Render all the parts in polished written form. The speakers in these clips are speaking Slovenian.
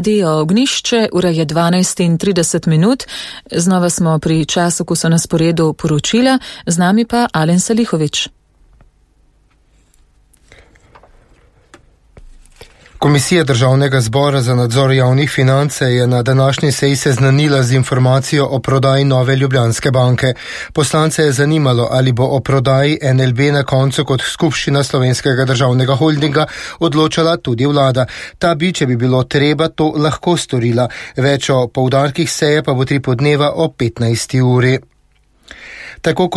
Radio Ognišče, ura je 12:30. Znova smo pri času, ko so na sporedu poročila, z nami pa Alen Salihović. Komisija Državnega zbora za nadzor javnih financ je na današnji seji seznanila z informacijo o prodaji Nove Ljubljanske banke. Poslance je zanimalo, ali bo o prodaji NLB na koncu kot skupščina Slovenskega državnega holdinga odločala tudi vlada. Ta bi, če bi bilo treba, to lahko storila. Več o poudarkih seje pa bo 3 podneva o 15. uri. Tako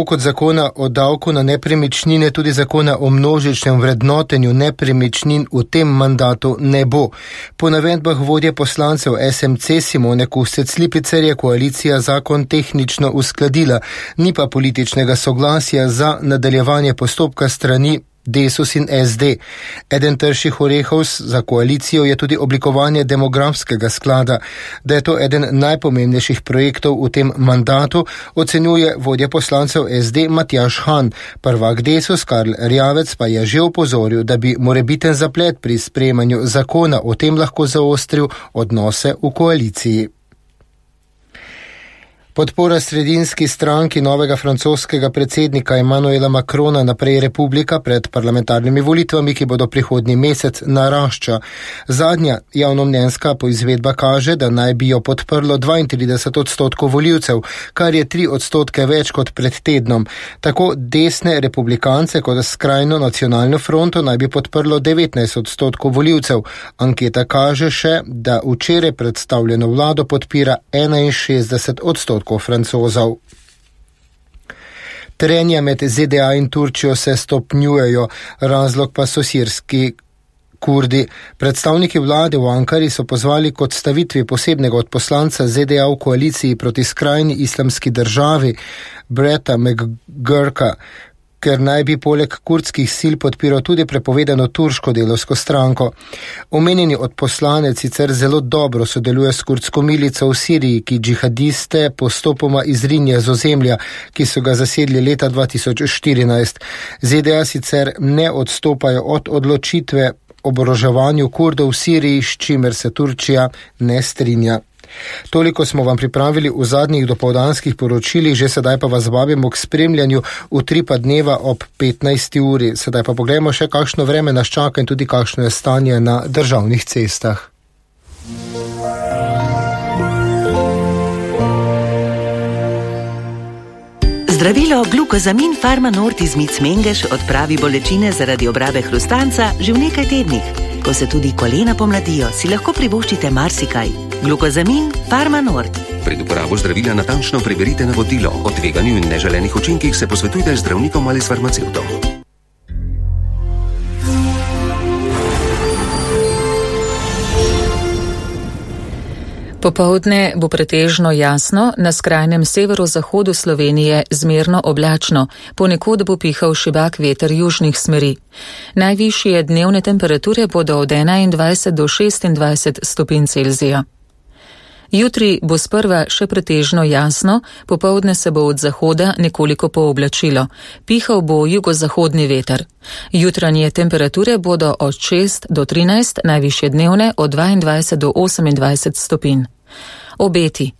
kot zakona o davku na nepremičnine, tudi zakona o množičnem vrednotenju nepremičnin v tem mandatu ne bo. Po navedbah vodje poslancev SMC Simone Kustec-Lipicer je koalicija zakon tehnično uskladila, ni pa političnega soglasja za nadaljevanje postopka strani Desus in SD. Eden trših orehov za koalicijo je tudi oblikovanje demografskega sklada. Da je to eden najpomembnejših projektov v tem mandatu, ocenjuje vodja poslancev SD Matjaž Han. Prvak Desus Karl Rjavec pa je že opozoril, da bi morebiten zaplet pri sprejemanju zakona o tem lahko zaostril odnose v koaliciji. Podpora sredinski stranki novega francoskega predsednika Emmanuela Macrona Naprej Republika pred parlamentarnimi volitvami, ki bodo prihodnji mesec, narašča. Zadnja javnomnenjska poizvedba kaže, da naj bi jo podprlo 32% volivcev, kar je 3% več kot pred tednom. Tako desne republikance kot skrajno nacionalno fronto naj bi podprlo 19% volivcev. Anketa kaže še, da včeraj predstavljeno vlado podpira 61% Francozov. Trenja med ZDA in Turčijo se stopnjujejo, razlog pa so sirski Kurdi. Predstavniki vlade v Ankari so pozvali k odstavitvi posebnega odposlanca ZDA v koaliciji proti skrajni islamski državi Bretta McGurka, ker naj bi poleg kurdskih sil podpiral tudi prepovedano turško delovsko stranko. Omenjeni odposlanec sicer zelo dobro sodeluje s kurdsko milico v Siriji, ki džihadiste postopoma izrinja z ozemlja, ki so ga zasedli leta 2014. ZDA sicer ne odstopajo od odločitve o oboroževanju Kurdov v Siriji, s čimer se Turčija ne strinja. Toliko smo vam pripravili v zadnjih dopoldanskih poročilih, že sedaj pa vas vabimo k spremljanju v 3 dneva ob 15. uri. Sedaj pa pogledamo še, kakšno vreme nas čaka in tudi kakšno je stanje na državnih cestah. Zdravilo Glukozamin Pharma-Nord iz Mic Mengeš odpravi bolečine zaradi obrave hrustanca že v nekaj tednih. Ko se tudi kolena pomladijo, si lahko privoščite marsikaj. Glukozamin Pharma-Nord. Pred uporabo zdravila natančno preverite navodilo. O tveganju in neželenih učinkih se posvetujte z zdravnikom ali s farmacevtom. Popoldne bo pretežno jasno, na skrajnem severozahodu Slovenije zmerno oblačno, ponekod bo pihal šibak veter južnih smeri. Najvišje dnevne temperature bodo od 21 do 26 stopinj Celzija. Jutri bo sprva še pretežno jasno, popoldne se bo od zahoda nekoliko pooblačilo. Pihal bo jugozahodni veter. Jutranje temperature bodo od 6 do 13, najvišje dnevne od 22 do 28 stopinj. Obeti.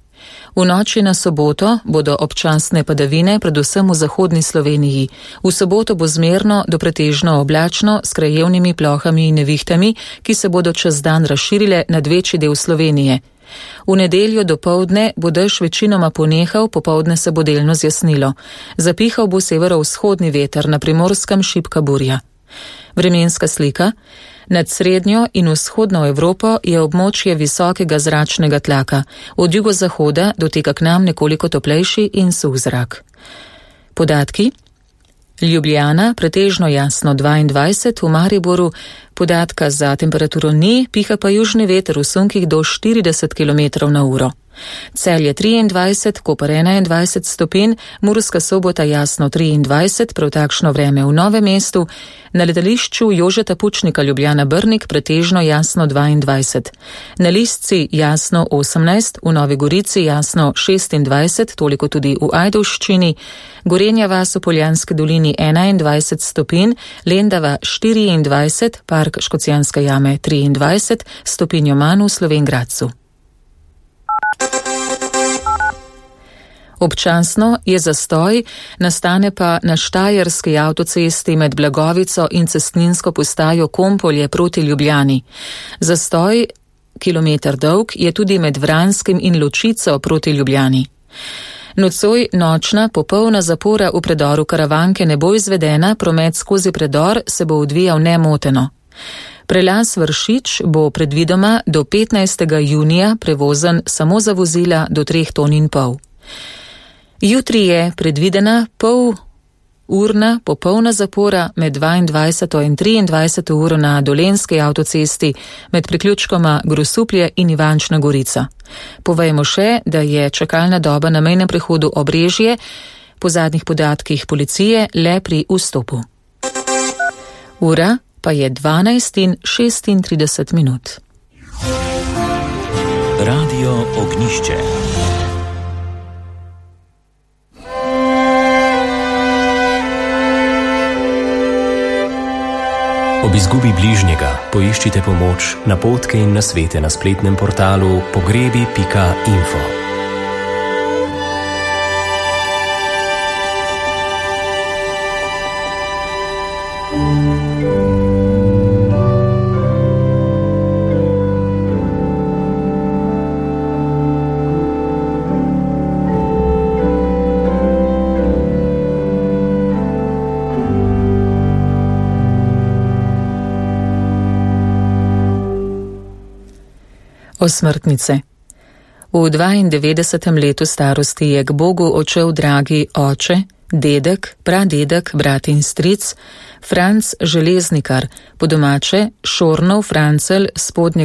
V noči na soboto bodo občasne padavine, predvsem v zahodni Sloveniji. V soboto bo zmerno do pretežno oblačno s krajevnimi plohami in nevihtami, ki se bodo čez dan razširile nad večji del Slovenije. V nedeljo dopoldne bo dež večinoma ponehal, popoldne se bo delno zjasnilo. Zapihal bo severovzhodni veter, na Primorskem šibka burja. Vremenska slika. Nad srednjo in vzhodno Evropo je območje visokega zračnega tlaka. Od jugozahoda doteka k nam nekoliko toplejši in suh zrak. Podatki. Ljubljana, pretežno jasno 22, v Mariboru podatka za temperaturo ni, piha pa južni veter v sunkih do 40 km/h. Celje 23, Koper 21 stopinj, Murska Sobota jasno 23, prav takšno vreme v Novem mestu, na letališču Jožeta Pučnika Ljubljana Brnik pretežno jasno 22, na Listci jasno 18, v Novi Gorici jasno 26, toliko tudi v Ajdovščini, Gorenja vas v Poljanski dolini 21 stopinj, Lendava 24, Park Škocjanske jame 23, stopinjo manj v Slovenj Gradcu. Občasno je zastoj, nastane pa na štajerski avtocesti med Blagovico in cestninsko postajo Kompolje proti Ljubljani. Zastoj, kilometer dolg, je tudi med Vranskim in Ločico proti Ljubljani. Nocoj nočna popolna zapora v predoru Karavanke ne bo izvedena, promet skozi predor se bo odvijal nemoteno. Prelaz Vršič bo predvidoma do 15. junija prevozen samo za vozila do 3,5 ton. Jutri je predvidena pol-urna popolna zapora med 22. in 23. uro na Dolenjski avtocesti med priključkoma Grosuplje in Ivančna Gorica. Povejmo še, da je čakalna doba na mejnem prehodu Obrežje po zadnjih podatkih policije le pri vstopu. Ura pa je 12:36. Radio Ognjišče. Ob izgubi bližnjega poiščite pomoč, napotke in nasvete na spletnem portalu pogrebi.info. Osmrtnice. V 92. letu starosti je k Bogu odšel dragi oče, dedek, pradedek, brat in stric, Franc Železnikar, po domače Šornov Francel spodnjega